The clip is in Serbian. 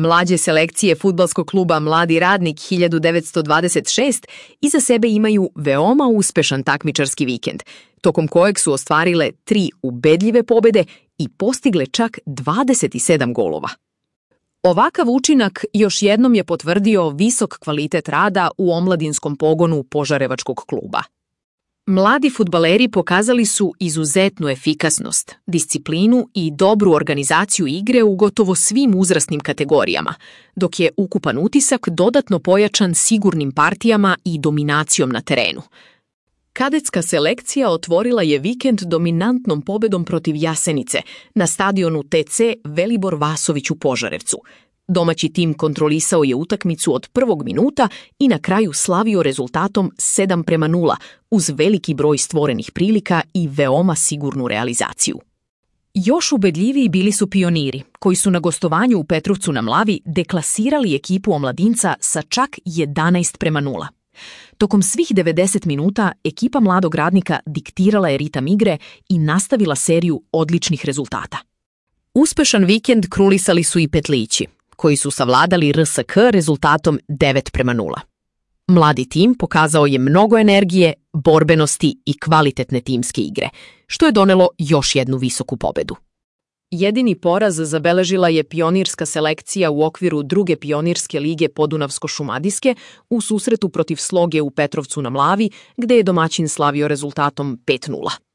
Mlađe selekcije fudbalskog kluba Mladi radnik 1926 iza sebe imaju veoma uspešan takmičarski vikend, tokom kojeg su ostvarile 3 ubedljive pobede i postigle čak 27 golova. Ovakav učinak još jednom je potvrdio visok kvalitet rada u omladinskom pogonu Požarevačkog kluba. Mladi fudbaleri pokazali su izuzetnu efikasnost, disciplinu i dobru organizaciju igre u gotovo svim uzrasnim kategorijama, dok je ukupan utisak dodatno pojačan sigurnim partijama i dominacijom na terenu. Kadetska selekcija otvorila je vikend dominantnom pobedom protiv Jasenice na stadionu TC Velibor Vasović u Požarevcu. Domaći tim kontrolisao je utakmicu od prvog minuta i na kraju slavio rezultatom 7:0 uz veliki broj stvorenih prilika i veoma sigurnu realizaciju. Još ubedljiviji bili su Pioniri, koji su na gostovanju u Petrovcu na Mlavi deklasirali ekipu omladinca sa čak 11:0. Tokom svih 90 minuta ekipa Mladog radnika diktirala je ritam igre i nastavila seriju odličnih rezultata. Uspešan vikend krulisali su i Petlići, koji su savladali RSK rezultatom 9:0. Mladi tim pokazao je mnogo energije, borbenosti i kvalitetne timske igre, što je donelo još jednu visoku pobedu. Jedini poraz zabeležila je pionirska selekcija u okviru druge pionirske lige Podunavsko-Šumadijske u susretu protiv Sloge u Petrovcu na Mlavi, gde je domaćin slavio rezultatom 5:0.